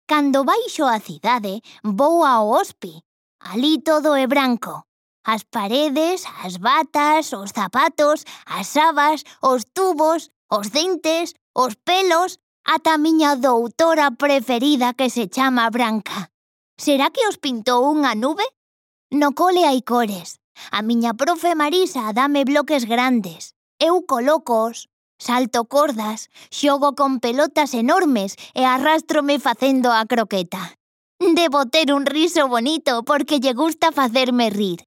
Cando baixo a cidade, vou ao hospi. Alí todo é branco. As paredes, as batas, os zapatos, as sabas, os tubos, os dentes, os pelos, ata a miña doutora preferida que se chama Branca. Será que os pintou unha nube? No cole hai cores. A miña profe Marisa dame bloques grandes. Eu colócoos, salto cordas, xogo con pelotas enormes e arrástrome facendo a croqueta. Debo ter un riso bonito porque lle gusta facerme rir.